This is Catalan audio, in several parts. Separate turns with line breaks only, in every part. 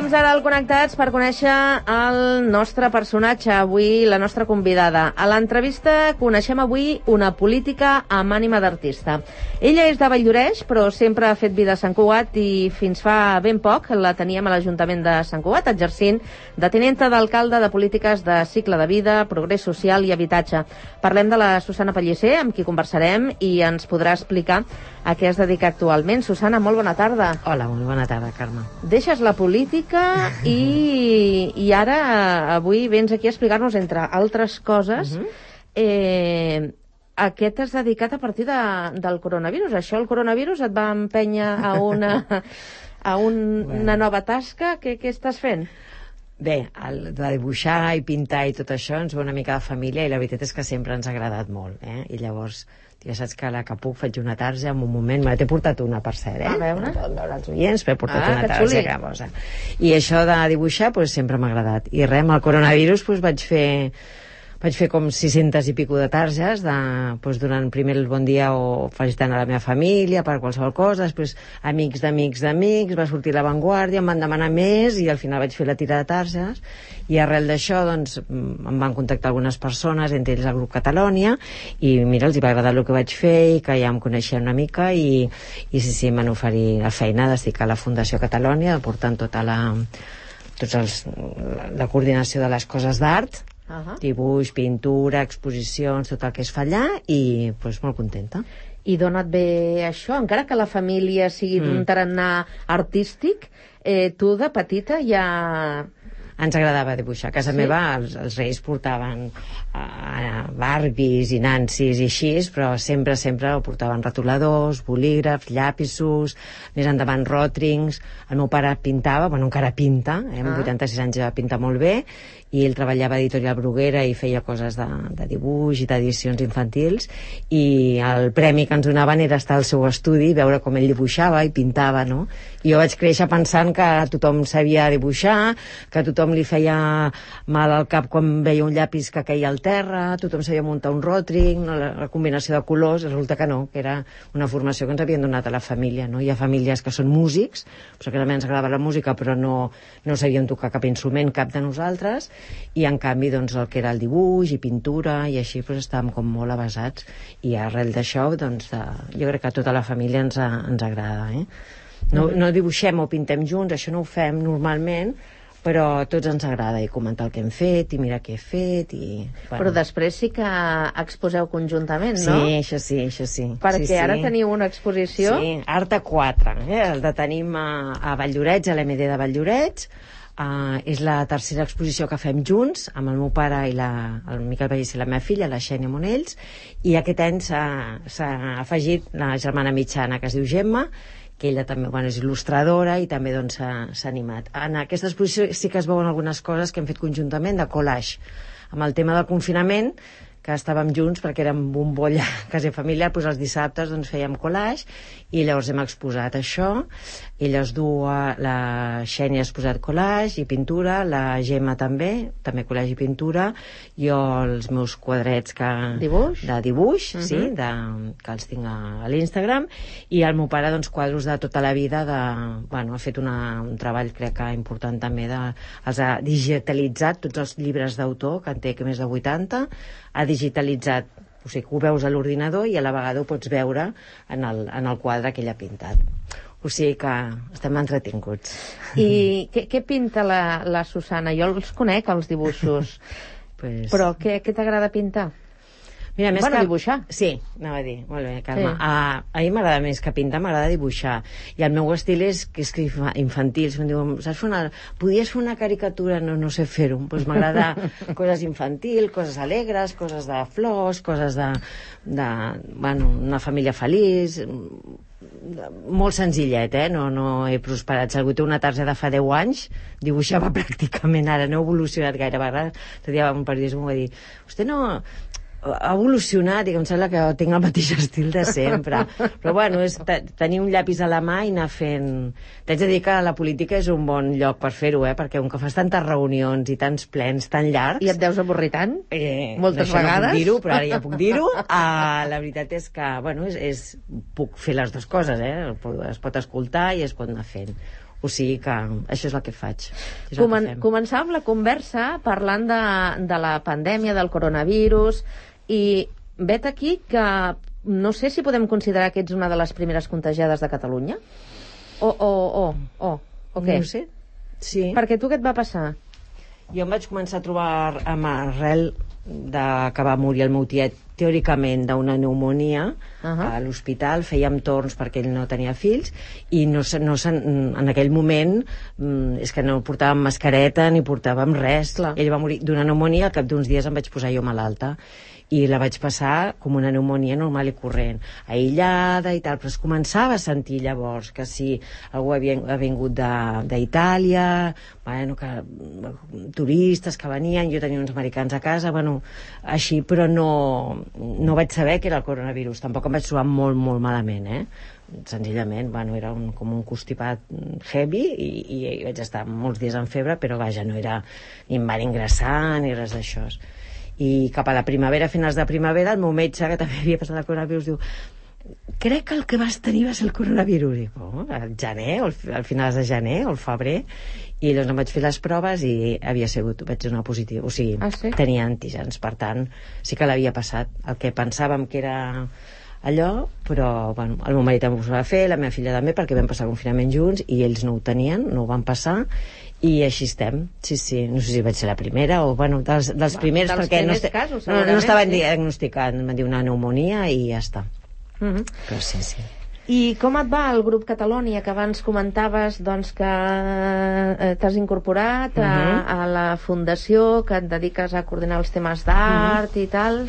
temps ara al Connectats per conèixer el nostre personatge, avui la nostra convidada. A l'entrevista coneixem avui una política amb ànima d'artista. Ella és de Valldoreix, però sempre ha fet vida a Sant Cugat i fins fa ben poc la teníem a l'Ajuntament de Sant Cugat, exercint de tinenta d'alcalde de polítiques de cicle de vida, progrés social i habitatge. Parlem de la Susana Pellicer, amb qui conversarem i ens podrà explicar a què es dedica actualment. Susana, molt bona tarda.
Hola, molt bona tarda, Carme.
Deixes la política i ara avui vens aquí a explicar-nos, entre altres coses, a què t'has dedicat a partir del coronavirus. Això, el coronavirus, et va empènyer a una nova tasca? Què estàs fent?
Bé, de dibuixar i pintar i tot això ens va una mica de família i la veritat és que sempre ens ha agradat molt, I llavors ja saps que a la que puc faig una tarja en un moment, me t'he portat una, per cert,
A veure.
No poden veure els oients, però he portat una tarja que posa. I això de dibuixar sempre m'ha agradat. I res, amb el coronavirus vaig fer com 600 i pico de targes durant primer el bon dia o felicitant a la meva família per qualsevol cosa, després amics d'amics, va sortir La Vanguardia, em van demanar més i al final vaig fer la tira de targes i arrel d'això em van contactar algunes persones, entre ells el grup Catalònia, i mira, els hi va agradar el que vaig fer i que ja em coneixien una mica i sí, em van oferir la feina d'estic a la Fundació Catalònia portant la coordinació de les coses d'art, dibuix, pintura, exposicions, tot el que es fa allà i molt contenta.
I d'on et ve això? Encara que la família sigui d'un tarannà artístic, tu de petita ja...
Ens agradava dibuixar. A casa meva els reis portaven Barbies i Nancies i així, però sempre portaven retoladors, bolígrafs, llapisos, més endavant ròtrings. El meu pare pintava, encara pinta, amb 86 anys ja pinta molt bé, i ell treballava a Editorial Bruguera i feia coses de dibuix i d'edicions infantils, i el premi que ens donaven era estar al seu estudi i veure com ell dibuixava i pintava, no? I jo vaig créixer pensant que tothom sabia dibuixar, que tothom li feia mal al cap quan veia un llapis que caia al terra, tothom sabia muntar un ròtring, la combinació de colors. Resulta que no, que era una formació que ens havien donat a la família, no? Hi ha famílies que són músics, perquè també ens agradava la música, però no sabíem tocar cap instrument, cap de nosaltres, i en canvi el que era el dibuix i pintura i així estàvem com molt avasats, i arrel d'això jo crec que a tota la família ens agrada, No dibuixem o pintem junts, això no ho fem normalment, però a tots ens agrada i comentar el que hem fet i mirar què he fet
Però després sí que exposeu conjuntament, no?
Sí, això sí.
Perquè ara teniu una exposició...
Sí, Art a 4, el tenim a Valldoreix, a l'MD de Valldoreix. És la tercera exposició que fem junts amb el meu pare i el Miquel Pellicer i la meva filla, la Xènia Monells, i aquest any s'ha afegit la germana mitjana, que es diu Gemma, que ella també és il·lustradora i també s'ha animat. En aquesta exposició sí que es veuen algunes coses que hem fet conjuntament de collage. Amb el tema del confinament, que estàvem junts perquè érem bombolla quasi familiar, els dissabtes fèiem collage i llavors hem exposat això, i les dues, la Xènia ha exposat collage i pintura, la Gemma també collage i pintura, jo els meus quadrets de dibuix, sí, que els tinc a l'Instagram, i el meu pare quadros de tota la vida, ha fet un treball crec que important també, els ha digitalitzat tots els llibres d'autor, que en té més de 80, ha digitalitzat, o sigui, que ho veus a l'ordinador i a la vegada ho pots veure en el quadre que ell ha pintat. O sigui que estem entretinguts.
I què pinta la Susana? Jo els conec, els dibuixos, però què t'agrada pintar?
Mira,
dibuixar.
Sí, anava a dir, molt bé, Carme. A mi m'agrada més que pintar, m'agrada dibuixar. I el meu estil és infantil. Si em diuen, podies fer una caricatura? No sé fer-ho. M'agrada coses infantil, coses alegres, coses de flors, coses una família feliç, molt senzillet, no he prosperat. Si algú té una tarja de fa 10 anys, dibuixava pràcticament, ara no he evolucionat gaire. L'altre dia un periodista m'ho va dir, vostè no ha evolucionat, i em sembla que tinc el mateix estil de sempre, però és tenir un llapis a la mà i anar fent. T'haig de dir que la política és un bon lloc per fer-ho, perquè com que fas tantes reunions i tants plens tan llargs...
I et deus avorrir tant? Moltes vegades?
No puc dir-ho, però ara ja puc dir-ho. La veritat és que, puc fer les dues coses, es pot escoltar i es pot anar fent. O sigui que això és el que faig. És el que fem.
Començàvem la conversa parlant de la pandèmia, del coronavirus, i vet aquí que no sé si podem considerar que ets una de les primeres contagiades de Catalunya. O què?
No sé. Sí.
Perquè tu què et va passar?
Jo em vaig començar a trobar amb arrel que va morir el meu tiet teòricament d'una pneumonia a l'hospital, fèiem torns perquè ell no tenia fills i en aquell moment és que no portàvem mascareta ni portàvem res.
Clar.
Ell va morir d'una pneumonia, al cap d'uns dies em vaig posar jo malalta i la vaig passar com una pneumonia normal i corrent, aïllada i tal, però es començava a sentir llavors que si algú ha vingut d'Itàlia, bueno, que turistes que venien, jo tenia uns americans a casa, bueno, així, però no vaig saber que era el coronavirus, tampoc em vaig trobar molt, molt malament, senzillament, bueno, era com un constipat heavy i vaig estar molts dies en febre, però vaja, no era ni em van ingressar ni res d'això. I cap a la primavera, a finals de primavera, el meu metge, que també havia passat el coronavirus, diu: crec que el que vas tenir va ser el coronavirus. I, al gener, al finals de gener o al febrer, i doncs em vaig fer les proves i vaig donar positiu, o sigui, tenia antígens, per tant sí que l'havia passat, el que pensàvem que era allò, però bueno, el meu marit em ho va fer, la meva filla també, perquè vam passar el confinament junts i ells no ho tenien, no ho van passar, i així estem. Sí, no sé si vaig ser la primera o, bueno, dels primers, perquè
casos,
no estaven diagnosticant, em van dir una pneumonia i ja està. Però sí.
I com et va el grup Catalonia, que abans comentaves doncs, que t'has incorporat a la fundació, que et dediques a coordinar els temes d'art i tal?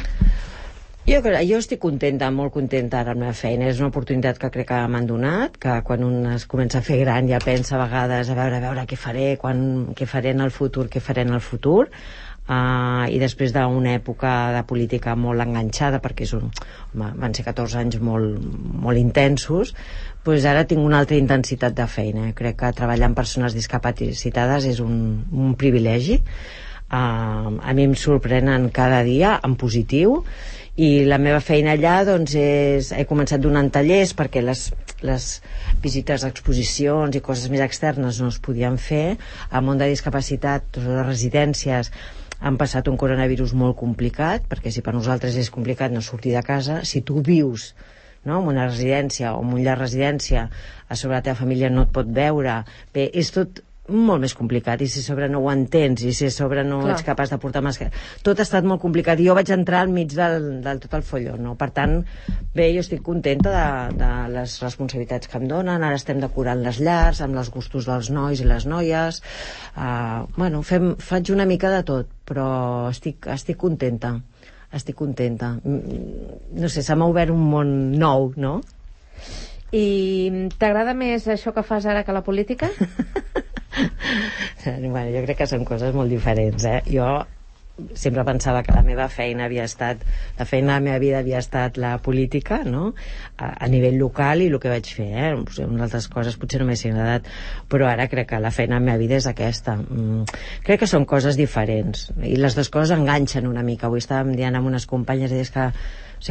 Jo estic contenta, molt contenta ara amb la meva feina. És una oportunitat que crec que m'han donat, que quan un es comença a fer gran ja pensa a vegades a veure què faré, què faré en el futur, i després d'una època de política molt enganxada, perquè van ser 14 anys molt intensos, doncs ara tinc una altra intensitat de feina. Crec que treballar amb persones discapacitades és un privilegi. A mi em sorprenen cada dia en positiu, i la meva feina allà doncs he començat donant tallers perquè les visites a exposicions i coses més externes no es podien fer. Al món de discapacitat, les residències han passat un coronavirus molt complicat, perquè si per nosaltres és complicat no sortir de casa, si tu vius en una residència o en un llar residència, a sobre la teva família no et pot veure, bé, és tot molt més complicat, i si a sobre no ho entens, i si a sobre no ets capaç de portar màscara, tot ha estat molt complicat, i jo vaig entrar al mig del tot el folló, no? Per tant, bé, jo estic contenta de les responsabilitats que em donen. Ara estem decorant les llars amb els gustos dels nois i les noies, bueno, faig una mica de tot, però estic contenta, no sé, se m'ha obert un món nou, no?
I t'agrada més això que fas ara que la política?
Bueno, jo crec que són coses molt diferents, Jo sempre pensava que la meva feina la feina de la meva vida havia estat la política, no? A nivell local, i el que vaig fer, unes altres coses potser no m'haguessin agradat, però ara crec que la feina de la meva vida és aquesta. Crec que són coses diferents i les dues coses enganxen una mica. Avui estàvem dient amb unes companyes, deies que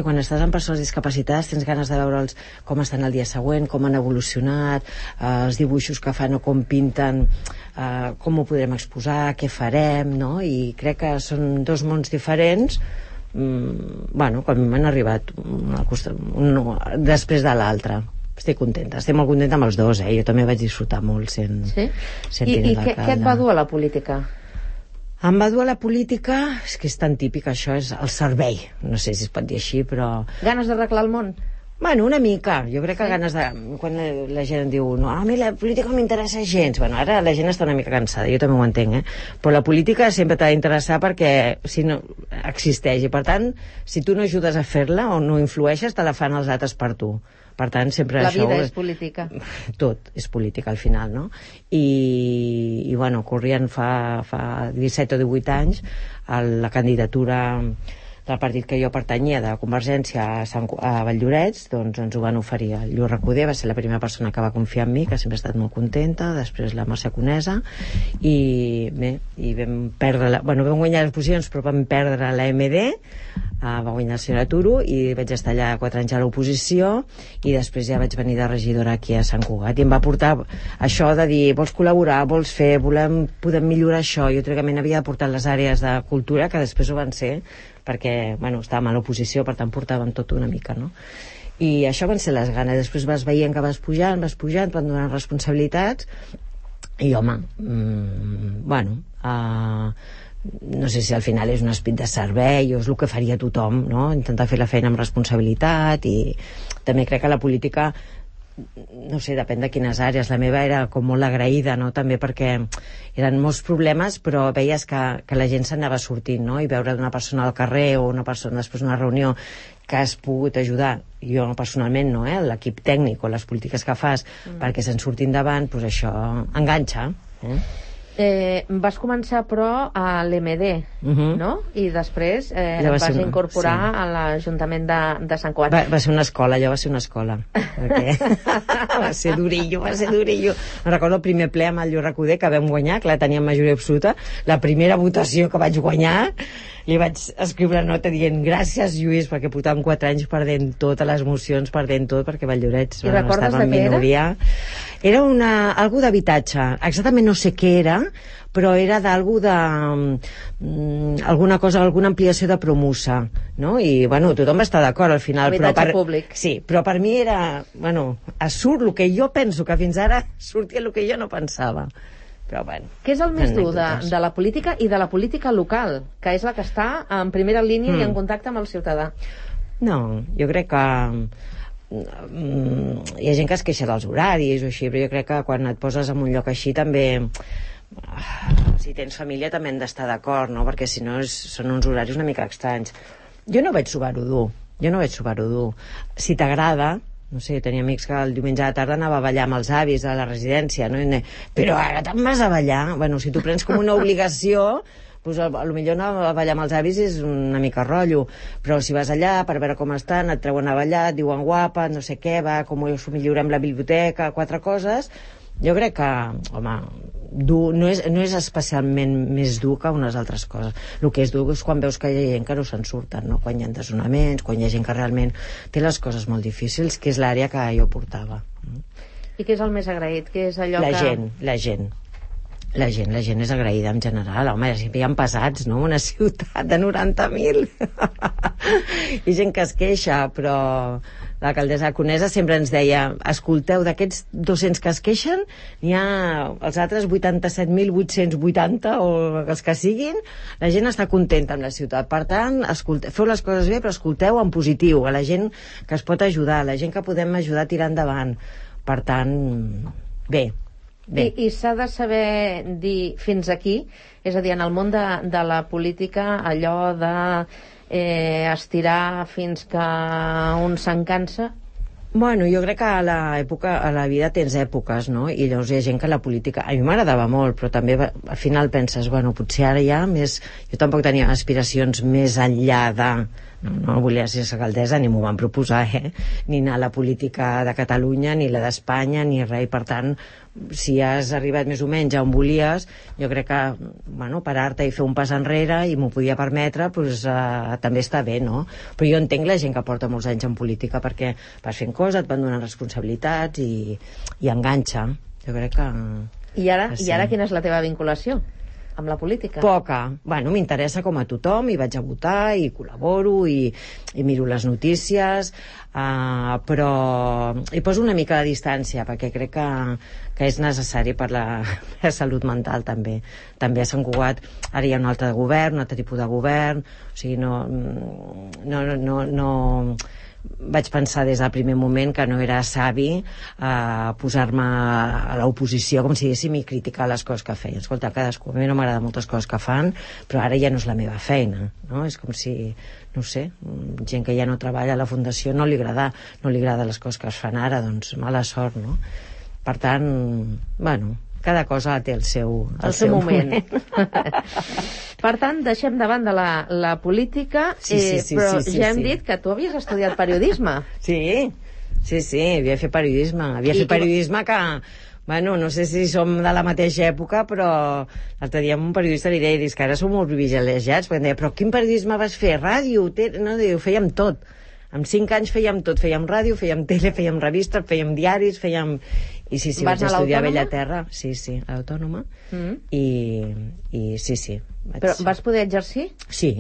quan estàs amb persones discapacitades tens ganes de veure'ls com estan el dia següent, com han evolucionat, els dibuixos que fan o com pinten, com ho podrem exposar, què farem, no? I crec que són dos mons diferents, bueno, que a mi m'han arribat després de l'altre. Estic molt contenta amb els dos, jo també vaig disfrutar molt sent
I què et va dur a la política?
Em va dur a la política, és que és tan típic això, és el servei, no sé si es pot dir així, però...
Ganes d'arreglar el món?
Bueno, una mica, jo crec que ganes de... Quan la gent diu, no, a mi la política no m'interessa gens, bueno, ara la gent està una mica cansada, jo també ho entenc, però la política sempre t'ha d'interessar perquè si no existeix, i per tant, si tu no ajudes a fer-la o no influeixes, te la fan els altres per tu. Per tant, sempre
la
això...
vida és política.
Tot és política al final, no? I bueno, corrien fa 17 o 18 anys la candidatura del partit que jo pertanyia, de Convergència, a Valldoreix, doncs ens ho van oferir. El Lluís Recoder va ser la primera persona que va confiar en mi, que sempre he estat molt contenta, després la Mercè Conesa, i bé, i vam perdre vam guanyar les posicions, però vam perdre la MD, va guanyar el senyor Turo, i vaig estar allà 4 anys a l'oposició, i després ja vaig venir de regidora aquí a Sant Cugat, i em va portar això de dir, vols col·laborar, vols fer, podem millorar això. Jo teòricament havia de portar les àrees de cultura, que després ho van ser, perquè, estàvem a l'oposició, per tant portàvem tot una mica, no? I això van ser les ganes. Després vas veient que vas pujant, et van donant responsabilitats, i home, no sé si al final és un esperit de servei o és el que faria tothom, no? Intentar fer la feina amb responsabilitat, i també crec que la política, no sé, depèn de quines àrees. La meva era com molt agraïda, no? També perquè eren molts problemes, però veies que la gent s'anava sortint, no? I veure d'una persona al carrer o una persona després d'una reunió que has pogut ajudar, jo personalment no, l'equip tècnic o les polítiques que fas perquè se'n surtin davant, doncs això enganxa.
Vas començar però a l'MD, no? I després vas incorporar a l'Ajuntament de Sant Cugat.
Va ser una escola, allò va ser una escola, perquè va ser durillo. Me'n recordo el primer ple amb el Lluís Recoder, que vam guanyar, clar, teníem majoria absoluta. La primera votació que vaig guanyar, li vaig escriure una nota dient gràcies, Lluís, perquè portàvem 4 anys perdent totes les mocions, perdent tot, perquè Valldoreix estava en minoria. Era algú d'habitatge, exactament no sé què era, però era d'algú de alguna cosa, alguna ampliació de Promusa, no? I tothom va estar d'acord al final.
Habitatge públic.
Sí, però per mi era surt el que jo penso, que fins ara sortia el que jo no pensava. Però
què és el més dur de la política i de la política local, que és la que està en primera línia i en contacte amb el ciutadà?
No, jo crec que hi ha gent que es queixa dels horaris o així, però jo crec que quan et poses en un lloc així també, si tens família també han d'estar d'acord, no? Perquè si no són uns horaris una mica estranys. Jo no vaig trobar-ho dur. Si t'agrada, no sé, tenia amics que el diumenge a la tarda anava a ballar amb els avis a la residència, no? Però ara te'n vas a ballar? Si tu prens com una obligació, doncs potser anar a ballar amb els avis és una mica rotllo, però si vas allà per veure com estan, et treuen a ballar, et diuen guapa, no sé què, va, com us millorem la biblioteca, 4 coses, jo crec que, home, no és especialment més dur que unes altres coses. El que és dur és quan veus que hi ha gent que no se'n surten, no? Quan hi ha desnonaments, quan hi ha gent que realment té les coses molt difícils, que és l'àrea que jo portava.
I què és el més agraït? Què és allò
La gent és agraïda en general. Home, sempre hi ha pesats, no? Una ciutat de 90.000. Hi ha gent que es queixa, però l'alcaldessa Conesa sempre ens deia, escolteu, d'aquests 200 que es queixen, n'hi ha els altres 87.880 o els que siguin, la gent està contenta amb la ciutat. Per tant, feu les coses bé, però escolteu en positiu a la gent que es pot ajudar, a la gent que podem ajudar a tirar endavant. Per tant, bé.
I s'ha de saber dir fins aquí, és a dir, en el món de la política, allò de estirar fins que un se'n cansa?
Jo crec que a la vida tens èpoques, no? I llavors hi ha gent que la política... A mi m'agradava molt, però també al final penses, potser ara ja més... Jo tampoc tenia aspiracions més enllà de... No volia ser alcaldessa, ni m'ho van proposar, ni anar a la política de Catalunya, ni la d'Espanya, ni res. I per tant, si has arribat més o menys a on volies, jo crec que parar-te i fer un pas enrere i m'ho podia permetre, també està bé, no? Però jo entenc la gent que porta molts anys en política, perquè vas fent coses, et van donant responsabilitats i enganxa. Jo crec que...
I ara quina és la teva vinculació amb la política?
Poca. M'interessa com a tothom, i vaig a votar, i col·laboro, i miro les notícies, però hi poso una mica de distància, perquè crec que és necessari per la salut mental, també. També a Sant Cugat ara hi ha un altre govern, un altre tipus de govern, o sigui, no vaig pensar des del primer moment que no era savi posar-me a l'oposició, com si diguéssim, i criticar les coses que feien. Escolta, cadascú, a mi no m'agrada moltes coses que fan, però ara ja no és la meva feina, no? És com si, no sé, gent que ja no treballa a la fundació no li agrada les coses que es fan ara, doncs mala sort, no? Per tant, cada cosa té el seu
moment. Per tant, deixem de banda la política, però ja hem dit que tu havies estudiat periodisme.
Sí, havia fet periodisme. Havia fet periodisme que... Bueno, no sé si som de la mateixa època, però l'altre dia un periodista li deia que ara som molt privilegiats, perquè em deia, però quin periodisme vas fer? Ràdio? No, diu, fèiem tot. Amb 5 anys fèiem tot, fèiem ràdio, fèiem tele, fèiem revistes, fèiem diaris, fèiem... I sí, vaig estudiar a Bellaterra. Sí, a l'Autònoma. I sí.
Però vas poder exercir?
Sí,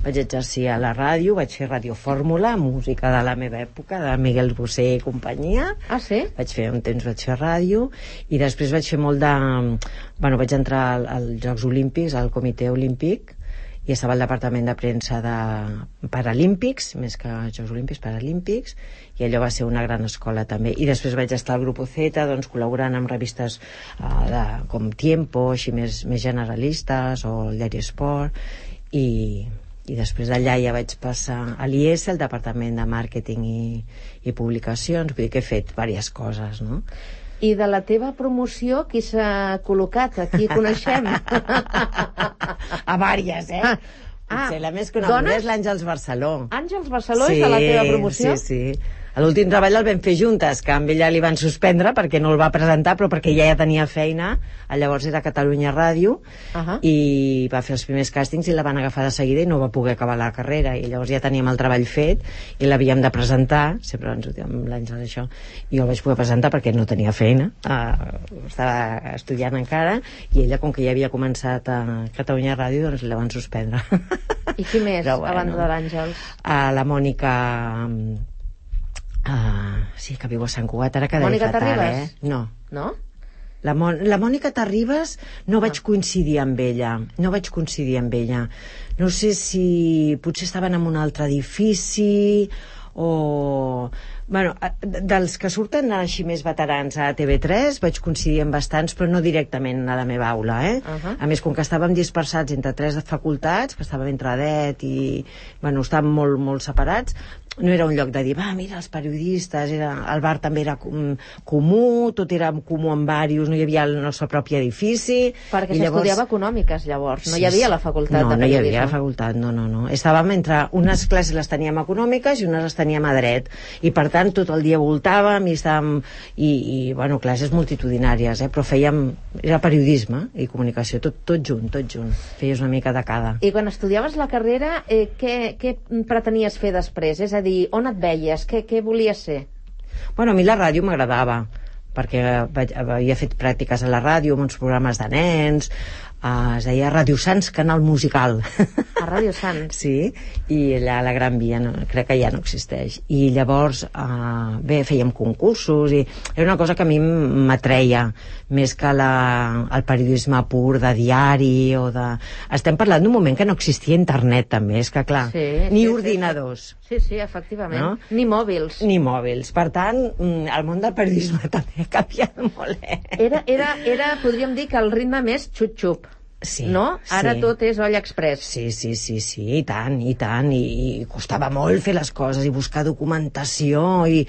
vaig exercir a la ràdio, vaig fer radiofórmula, música de la meva època, de Miguel Bosé i companyia.
Ah, sí?
Vaig fer ràdio, i després vaig fer molt de... Bueno, vaig entrar als Jocs Olímpics, al Comitè Olímpic, i estava al departament de premsa de Paralímpics, més que Jocs Olímpics, Paralímpics, i allò va ser una gran escola també. I després vaig estar al Grupo Z, doncs, col·laborant amb revistes com Tiempo, així més generalistes, o el Diari Esport, i després d'allà ja vaig passar a l'IES, el departament de màrqueting i publicacions, vull dir que he fet diverses coses, no?
I de la teva promoció, qui s'ha col·locat? Aquí coneixem?
A vàries, Potser la més coneguda és l'Àngels Barceló.
Àngels Barceló és de la teva promoció?
Sí. L'últim treball el vam fer juntes, que amb ella li van suspendre perquè no el va presentar, però perquè ja tenia feina. Llavors era Catalunya Ràdio, i va fer els primers càstings i la van agafar de seguida i no va poder acabar la carrera, i llavors ja teníem el treball fet i l'havíem de presentar, sempre ens ho diem amb l'Àngel això, i jo el vaig poder presentar perquè no tenia feina, estava estudiant encara, i ella, com que ja havia començat a Catalunya Ràdio, doncs la van suspendre.
I qui més, a banda de l'Àngels?
La Mònica... sí, que viu a Sant Cugat, ara quedaré fatal,
Terribas?
No. La Mònica Terribas no vaig coincidir amb ella. No sé si potser estaven en un altre edifici o... Bueno, dels que surten així més veterans a TV3 vaig coincidir amb bastants, però no directament a la meva aula, A més, com que estàvem dispersats entre 3 facultats, que estàvem entre ADET i... Bueno, estàvem molt separats, no era un lloc de dir, mira, els periodistes, el bar també era comú, tot era comú en diversos, no hi havia el nostre propi edifici...
Perquè s'estudiava econòmiques, llavors, no hi havia la facultat de periodisme.
No hi havia la facultat, no. Estàvem entre... Unes classes les teníem econòmiques i unes les teníem a dret, i per tant tot el dia voltàvem i estàvem... I bueno, classes multitudinàries, però fèiem... Era periodisme i comunicació, tot junt. Feies una mica de cada.
I quan estudiaves la carrera, què pretenies fer després? És a dir, on et veies? Què volies ser?
Bueno, a mi la ràdio m'agradava, perquè havia fet pràctiques a la ràdio, amb uns programes de nens, es deia Ràdio Sants, canal musical.
A Ràdio Sants?
Sí, i allà a la Gran Via crec que ja no existeix. I llavors, fèiem concursos, i era una cosa que a mi m'atreia, més que el periodisme pur de diari o de... Estem parlant d'un moment que no existia internet, també, és que clar, ni ordinadors.
Sí, efectivament. No? Ni mòbils.
Per tant, el món del periodisme també ha canviat molt,
Era, podríem dir, que el ritme més xup-xup.
Sí,
no? Ara tot és olla express.
Sí, i tant. I costava molt fer les coses i buscar documentació i...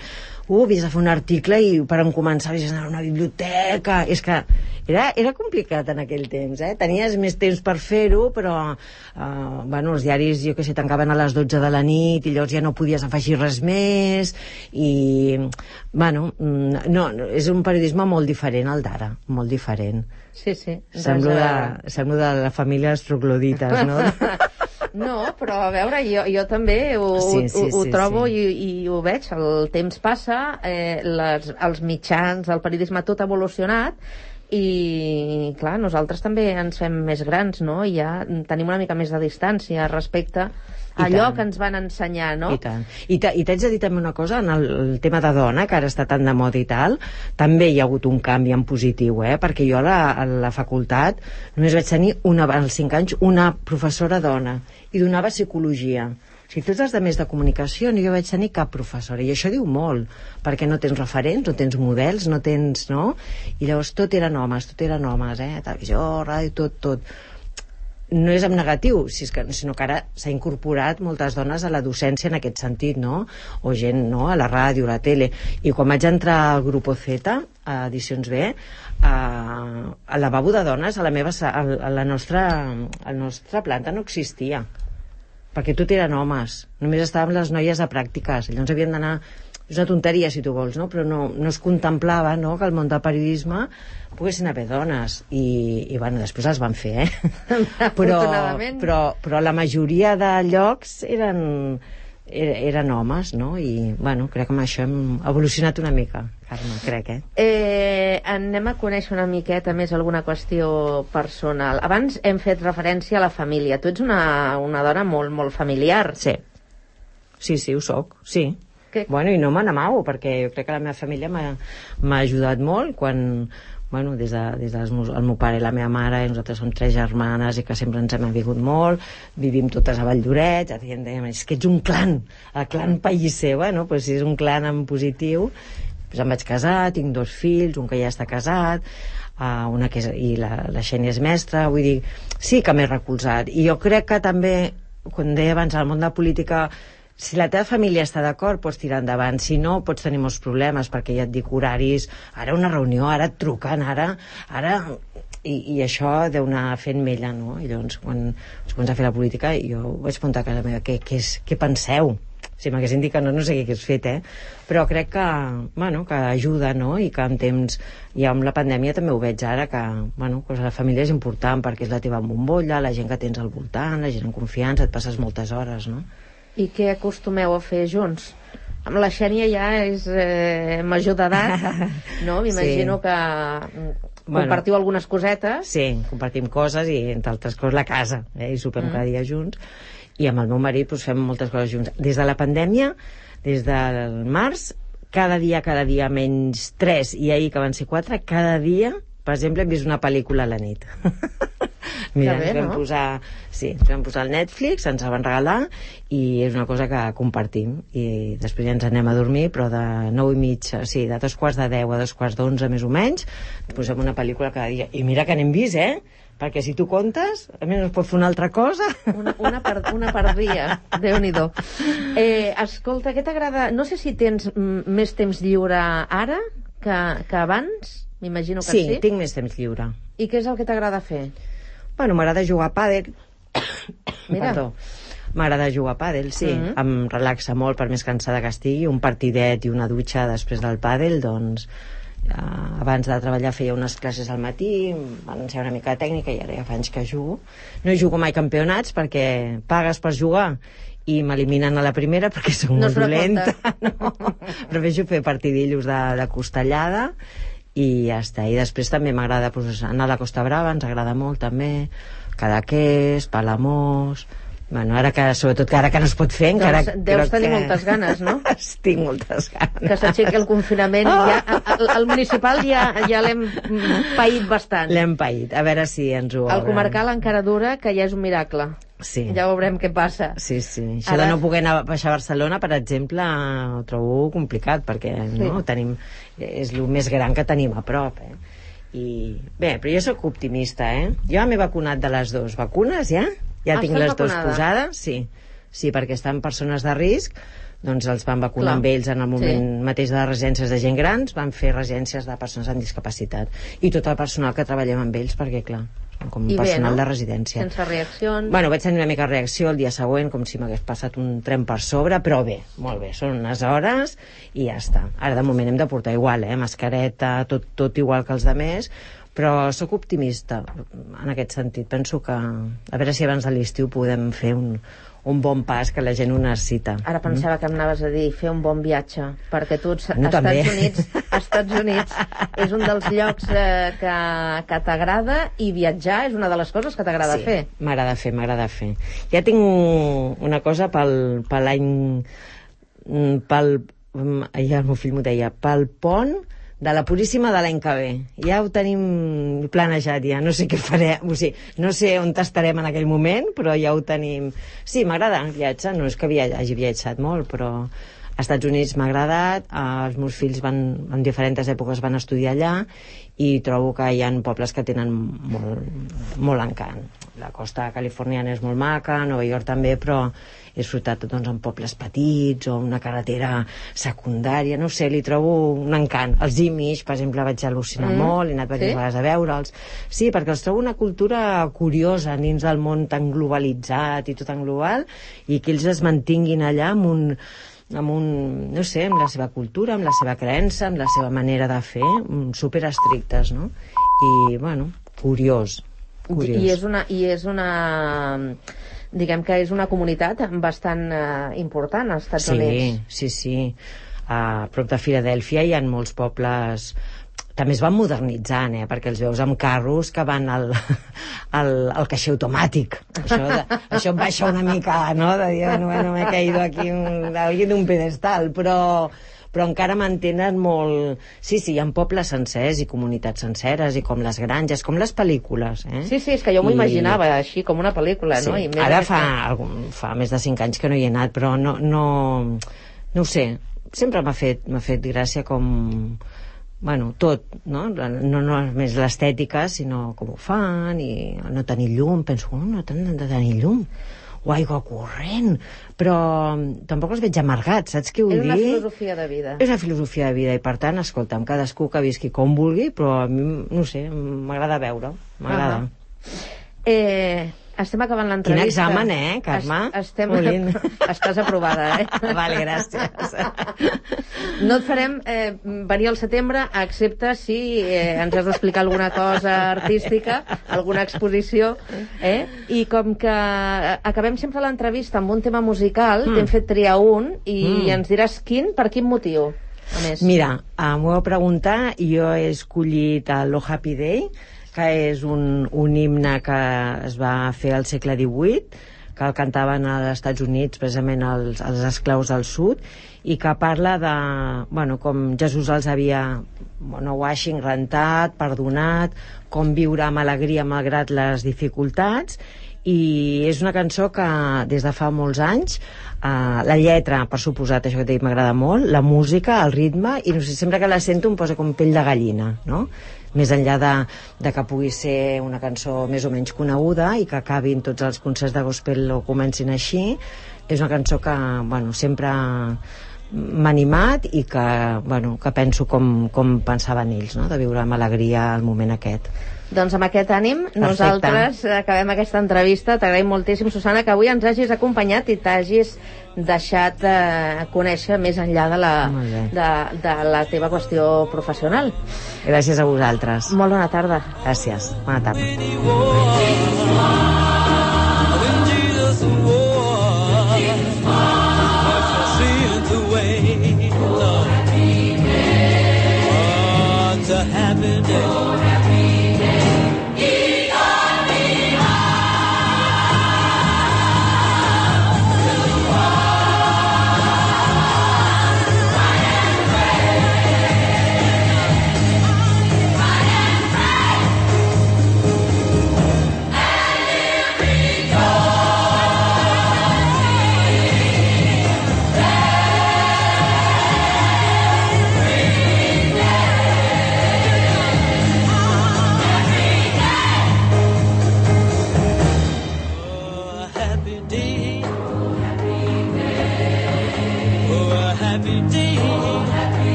havies de fer un article i per començar havies d'anar a una biblioteca. És que era complicat en aquell temps, Tenies més temps per fer-ho, però els diaris, jo què sé, tancaven a les 12 de la nit i llavors ja no podies afegir res més i... Bueno, no, és un periodisme molt diferent al d'ara, molt diferent.
Sí.
Semblo de la família dels troglodites, no?
No, però a veure, jo també ho trobo i ho veig. El temps passa, els mitjans, el periodisme, tot ha evolucionat i, clar, nosaltres també ens fem més grans, no? I ja tenim una mica més de distància respecte a allò que ens van ensenyar, no?
I tant. I t'haig de dir també una cosa, en el tema de dona, que ara està tan de moda i tal, també hi ha hagut un canvi en positiu, perquè jo a la facultat només vaig tenir, als 5 anys, una professora dona, i donava psicologia. O sigui, tots els de més de comunicació, no hi vaig tenir cap professora, i això diu molt, perquè no tens referents, no tens models, no tens, no? I llavors tot eren homes, televisió, ràdio, tot. no és en negatiu, sinó que ara s'ha incorporat moltes dones a la docència en aquest sentit, no? O gent, no?, a la ràdio, a la tele. I quan vaig entrar al Grupo Z, a Edicions B, al lavabo de dones a la nostra planta no existia, perquè tot eren homes, només estaven les noies de pràctiques, llavors havien d'anar. És una tonteria, si tu vols, no? Però no es contemplava, no?, que al món del periodisme poguessin haver dones. I bueno, després les van fer, però la majoria de llocs eren homes, no? I, bueno, crec que amb això hem evolucionat una mica, Carme, crec,
anem a conèixer una miqueta més alguna qüestió personal. Abans hem fet referència a la família. Tu ets una dona molt, molt familiar.
Sí, ho soc, sí. Bueno, i no me n'amago, perquè jo crec que la meva família m'ha ajudat molt quan, bueno, des del meu pare i la meva mare, i nosaltres som 3 germanes i que sempre ens hem avingut molt, vivim totes a Valldorets, dèiem, és que ets un clan, el clan Pellicer. Bueno, doncs si és un clan en positiu, doncs em vaig casar, tinc 2 fills, un que ja està casat, i la Xènia és mestra, vull dir, sí que m'he recolzat. I jo crec que també, quan deia abans, al món de la política, si la teva família està d'acord, pots tirar endavant. Si no, pots tenir molts problemes, perquè ja et dic horaris, ara una reunió, ara et truquen, ara... I això deu anar fent mella, no? I llavors, quan es comença a fer la política, jo vaig preguntar a casa meva, què penseu? Si m'haguessin dit que no sé què hagués fet, Però crec que, bueno, que ajuda, no? I que en temps, ja amb la pandèmia també ho veig ara, que, bueno, doncs la família és important, perquè és la teva bombolla, la gent que tens al voltant, la gent en confiança, et passes moltes hores, no?
I què acostumeu a fer junts? Amb la Xènia ja és major d'edat, no? M'imagino que compartiu algunes cosetes.
Sí, compartim coses i, entre altres coses, la casa, i sopem cada dia junts. I amb el meu marit fem moltes coses junts. Des de la pandèmia, des del març, cada dia menys 3, i ahir que van ser 4, cada dia, per exemple, hem vist una pel·lícula a la nit. Mira, ens vam posar el Netflix, ens el van regalar, i és una cosa que compartim, i després ja ens anem a dormir, però de 9:30, sí, de 2:45 a 2:45 més o menys, posem una pel·lícula cada dia, i mira que n'hem vist, perquè si tu comptes, a més no es pot fer una altra cosa.
Una per dia, Déu-n'hi-do. Escolta, què t'agrada? No sé si tens més temps lliure ara que abans, m'imagino que sí.
Sí, tinc més temps lliure.
I què és el que t'agrada fer?
Bueno, m'agrada jugar a pàdel.
Mira.
Perdó. M'agrada jugar a pàdel, sí. Em relaxa molt, per més cansada que estigui. Un partidet i una dutxa després del pàdel, doncs... abans de treballar feia unes classes al matí, m'han ensenyat una mica de tècnica, i ara ja fa anys que jugo. No jugo mai campionats, perquè pagues per jugar i m'eliminen a la primera perquè soc molt dolenta. No. Prefereixo fer partidillos de costellada i ja està. I després també m'agrada anar a la Costa Brava, ens agrada molt també, Cadaqués, Palamós... Bueno, sobretot que ara que no es pot fer, encara...
Deus tenir moltes ganes, no?
Tinc moltes ganes.
Que s'aixequi el confinament. El municipal ja l'hem paït bastant.
L'hem paït, a veure si ens ho...
El comarcal encara dura, que ja és un miracle.
Sí.
Ja veurem què passa.
Sí. Això de no poder anar a baixar a Barcelona, per exemple, ho trobo complicat, perquè no tenim... És el més gran que tenim a prop, I bé, però jo sóc optimista, Jo m'he vacunat de les 2 vacunes, ja tinc les 2 posades, sí, perquè estan persones de risc, doncs els van vacunar amb ells en el moment mateix de les residències de gent grans, van fer residències de persones amb discapacitat, i tot el personal que treballem amb ells, perquè clar, com personal de residència.
Sense reaccions?
Bueno, vaig tenir una mica de reacció el dia següent, com si m'hagués passat un tren per sobre, però bé, molt bé, són unes hores i ja està. Ara de moment hem de portar igual, mascareta, tot igual que els altres, però sóc optimista en aquest sentit. Penso que a veure si abans de l'estiu podem fer un bon pas, que la gent ho necessita.
Ara pensava que em anaves a dir fer un bon viatge, perquè tu als Estats Units és un dels llocs que t'agrada, i viatjar és una de les coses que t'agrada fer.
Sí, m'agrada fer. Ja tinc una cosa pel l'any... el meu fill m'ho deia, pel pont de la Puríssima de l'any que ve. Ja ho tenim planejat, ja. No sé què farem, o sigui, no sé on estarem en aquell moment, però ja ho tenim. Sí, m'agrada viatjar, no és que hagi viatjat molt, però Estats Units m'ha agradat, els meus fills en diferents èpoques van estudiar allà, i trobo que hi ha pobles que tenen molt encant. La costa californiana és molt maca, Nova York també, però he disfrutat doncs, en pobles petits o una carretera secundària, no sé, li trobo un encant. Els Amish, per exemple, vaig al·lucinar molt, he anat diverses vegades a veure'ls. Sí, perquè els trobo una cultura curiosa dins del món tan globalitzat i tot tan global, i que ells es mantinguin allà amb no sé, amb la seva cultura, amb la seva creença, amb la seva manera de fer, super estrictes, no? I, bueno, curiós.
I és una diguem que és una comunitat bastant important als Estats Units.
Sí. A prop de Filadèlfia hi ha molts pobles. També es van modernitzant, perquè els veus amb carros que van al caixer automàtic. Això em baixa una mica, no?, de dir, bueno, m'he caído aquí d'un pedestal, però encara mantenen molt... Sí, hi ha pobles sencers i comunitats senceres, i com les granges, com les pel·lícules,
Sí, és que jo m'ho imaginava així, com una pel·lícula, no?
I ara fa més de 5 anys que no hi he anat, però no ho sé, sempre m'ha fet gràcia com... Bueno, tot, no? No només l'estètica, sinó com ho fan, i no tenir llum. Penso, no tenen de tenir llum, o aigua corrent, però tampoc els veig amargats, saps què vull dir?
És una filosofia de vida.
És una filosofia de vida, i per tant, escolta'm, cadascú que visqui com vulgui, però a mi, no sé, m'agrada veure, m'agrada.
Estem acabant l'entrevista.
Quin examen, Carme?
Estàs aprovada,
Vale, gràcies.
No et farem venir al setembre, excepte si ens has d'explicar alguna cosa artística, alguna exposició, i com que acabem sempre l'entrevista amb un tema musical, t'hem fet triar un, i ens diràs per quin motiu, a més.
Mira, m'ho heu preguntat, i jo he escollit el Lo Happy Day, que és un himne que es va fer al segle XVIII, que el cantaven als Estats Units, precisament els esclaus del sud, i que parla de, com Jesús els havia washing, rentat, perdonat, com viure amb alegria malgrat les dificultats, i és una cançó que des de fa molts anys, la lletra, per suposat, això que t'he dit, m'agrada molt, la música, el ritme, i no sé, sempre que la sento em posa com pell de gallina, no? Més enllà de que pugui ser una cançó més o menys coneguda i que acabin tots els concerts de gospel o comencin així, és una cançó que, sempre m'ha animat, i que penso com pensaven ells, no?, de viure amb alegria el moment aquest.
Doncs amb aquest ànim, nosaltres acabem aquesta entrevista. T'agraïm moltíssim, Susana, que avui ens hagis acompanyat i t'hagis deixat conèixer més enllà de la teva qüestió professional.
Gràcies a vosaltres.
Molt bona tarda.
Gràcies, bona tarda.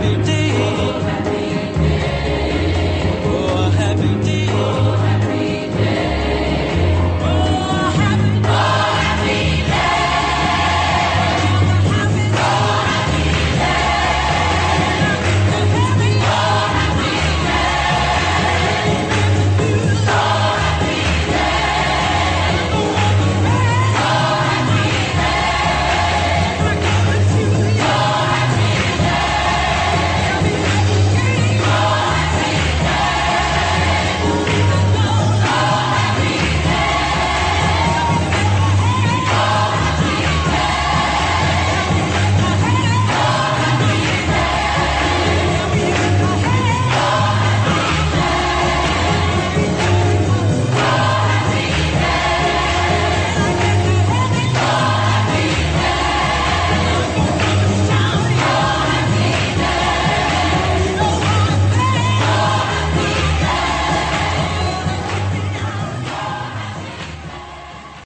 be different.